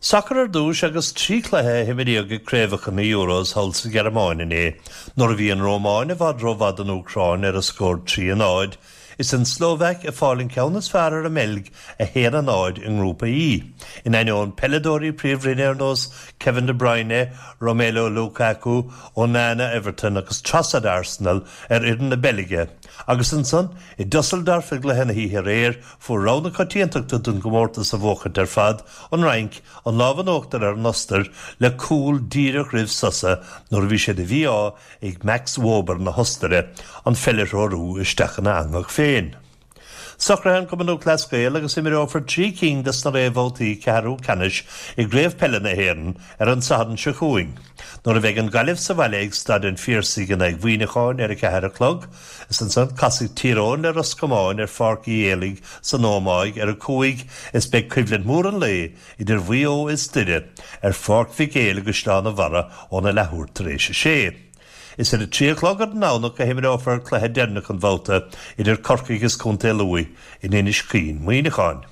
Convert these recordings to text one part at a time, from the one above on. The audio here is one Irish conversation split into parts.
Sacar ar dtús agus 3 chluiche a himríodh i gcraobhacha na Euros thall sa Ghearmáin inné, nuair a bhí an Rómáin i bhfad rómhaith don Úcráin ar an scór 3, 0, is an tSlóvaic ag fáil an ceann is fearr ar an mBeilg 1, 0 i nGrúpa E. In ainneoin peileadóirí príomhroinne ar nós Kevin De Bruyne, Romelu Lukaku, Onana Everton agus Trossard Arsenal ar fhoireann na Beilge. Agus ansan i Dusseldorf i gcluiche na hoíche aréir, Fuair rogha na coitiantachta don gcomórtas a bhuachaint ar fad, an Fhrainc, an lámh in uachtar ar an Ostair le cúl díreach roimh sosa nuair a bhí sé de mhí-ádh ag Max Wober na hOstaire an pheil a threorú isteach ina eangach féin. Socraithe an Cumann Lúthchleas Gael agus imreofar 3 cinn des na réamhbhabhtaí ceathrú ceannais i gCraobh Peile na hÉireann ar an Satharn seo chugainn nuair a bheidh an Ghaillimh sa bhaile ag Staid an Phiarsaigh in aghaidh Mhuineacháin ar 4 a chlog. Is ansan casfaidh Tír Eoghain le Ros Comáin ar Pháirc Uí Éalaigh san Ómaigh ar 5 is beidh coimhlint mhór an lae idir Mhaigh Eo is Doire ar Pháirc Mhic Éil i gCaisleán an Bharraigh óna leathuair tar éis a sé. Is ar a 3 a chlog ar an nDomhnach a himreofar cluiche deireanach an bhabhta idir Corcaigh is Contae Lú in Inis Caoin, Muineachán.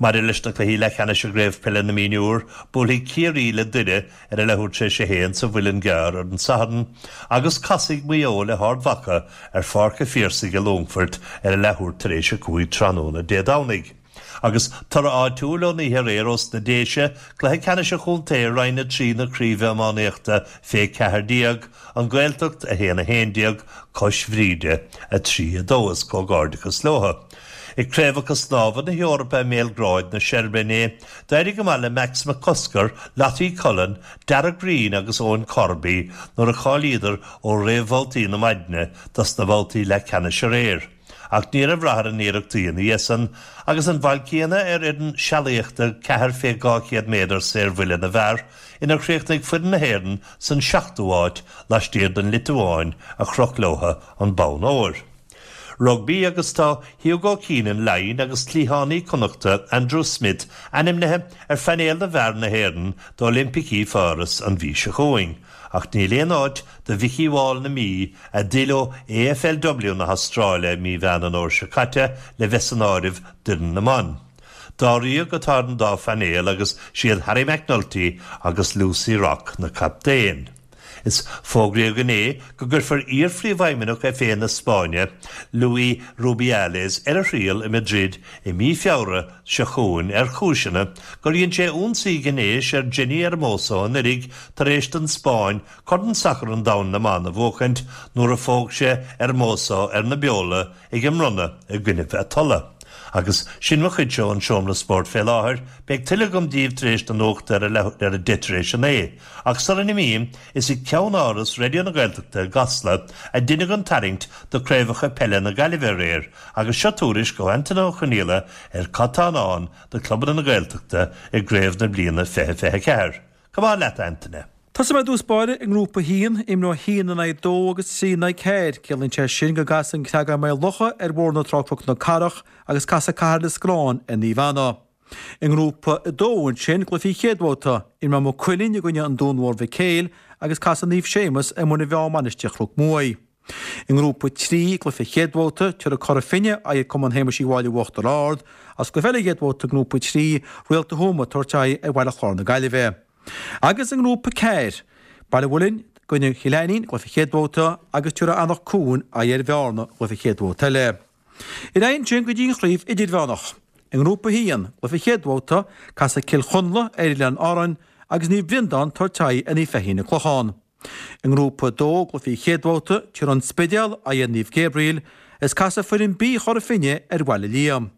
Maidir leis na cluichí leathcheannais i gCraobh Peile na Mionúr, buailfidh Ciarraí le Doire ar a leathuair tar éis a haon sa Mhuileann gCearr ar an Satharn agus casfaidh Maigh Eo le hArd Mhacha ar Pháirc a' Phiarsaigh i Longfort ar a leathuair tar éis a 5 tráthnóna Dé Domhnaigh. Agus toradh áitiúil ón oíche aréir ós na Déise, cluiche ceannais an chontae i Roinn 3 na Craoibhe Iománaíochta fé 14, An Ghaeltacht 1, 11, Cois Bhríde 3, 2 is comhghairdeachas leo. I gCraobhacha Snámha na hEorpa i mBéalgráid na Seirbia inné, d'éirigh go maith le Max McCusker, Lottie Cullen, Darragh Greene agus Eoin Corby nuair a cháilíodar ó réamhbhabhtaí na maidne dos na babhtaí leathcheannais aréir. Ach ní raibh rath ar a n-iarrachtaí ina dhiaidh san agus an bhail céanna ar fhoireann sealaíochta 4 fé 200 méadar saorbhuille na bhfear inar chríochnaigh foireann na hÉireann san seachtú háit laistiar den Liotuáin a chroch leotha an bonn óir. Rugbaí agus tá Hugo Keenan, Laighin, agus cliathánaí Connachta, Andrew Smith, ainmnithe ar phainéal na bhfear na hÉireann d'Oilimpicí Pháras an mhí seo chugainn ach níl aon áit do Mhickey Wall na Mí, a d'fhill ó AFLW na hAstráile i mí Mheán an Fhómhair seo caite, le bheith san áireamh d'fhoireann na mban. Dáréag atá ar an dá phainéal agus siad Harry McNulty agus Lucy Rock na captaein. Is fógraíodh inné go gcuirfear iar-phríomhfheidhmeannach FA na Spáinne, Luis Rubiales, ar a thriail i Madrid i mí Feabhra seo chugainn ar chúiseanna gur dhein sé ionsaí gnéis ar Jenni Hermoso anuraidh tar éis don Spáinn Corn Sacair an Domhain na mBan a bhuachaint nuair a phóg sé Hermoso ar na beola ag an mbronnadh i gcoinnibh a tola. Agus sin mo chuidse ón seomra spóirt fé láthair, beidh tuilleadh agam díbh tar éis na nuachta ar a deich tar éis a naoi. Ach sula n-imím, is i gceannáras Raidió na Gaeltachta i gCasla a deineadh an tarraingt do Craobhacha Peile na Gaillimhe aréir agus seo tuairisc ó Antaine Ó Conghaile ar cad tá i ndán do clubanna na Gaeltachta i gcraobh na bliana 2024. Come on leat, a Antaine! Tosóidh mé i dtús báire i nGrúpa 1, imreoidh 1 in aghaidh 2 agus 3 in aghaidh 4. Ciallaíonn sé sin go gcasfaidh an Creagán Maigh Locha ar Bhóthar na Trá Cnoc na Cathrach agus casfaidh Cathair Lios Gráin ar Naomh Anna. I nGrúpa 2 ansin, cluichí chéad bhabhta, imreoidh Maigh Cuilinn i gcoinne an Dún Mhór Mhic Éil agus casfaidh Naomh Séamus ar Muine Mheá Mainistir Chnoc Muaidh. I nGrúpa 3, cluiche chéad bhabhta, tabharfaidh Cora Finne aghaidh ar Cumann Shéamuis Uí Mháille Uachtar Ard, agus cluiche eile chéad bhabhta i nGrúpa 3, Réalta Thuama ag tabhairt aghaidh ar Bhaile Chláir na Gaillimhe. Agus i nGrúpa 4, Baile Mhuilinn i gcoinne Chill Ainnín, cluiche chéad bhabhta, agus tabharfaidh Anach Cuain aghaidh ar Bhearna, cluiche chéad bhabhta eile. Ar aghaidh ansin go dtí an chraobh idirmheánach. I nGrúpa 1, cluiche chéad bhabhta, casfaidh Cill Chonla ar Oileáin Árann agus Naomh Breandán tabhairt aghaidh ar Naomh Feichín an Clochán. I nGrúpa 2, cluichí chéad bhabhta, tabharfaidh An Spidéal aghaidh ar Naomh Gabriel is casfaidh foireann B Chora Finne ar Bhaile Liam.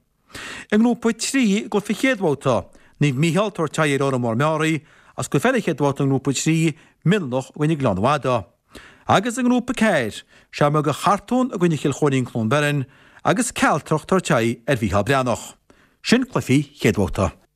I nGrúpa 3, cluiche chéad bhabhta, Naomh Mícheál tabhairt aghaidh ar Órán Mór Meáraí agus cluiche eile chéad bhabhta i nGrúpa 3, Mionlach i gcoinne Gleann Fhada. Agus i nGrúpa 4, Seamróga Chartún i gcoinne Chill Chóirín Cluain Bheirn agus Cealtrach tabhairt aghaidh ar Mhícheál Breathnach. Sin cluichí chéad bhabhta.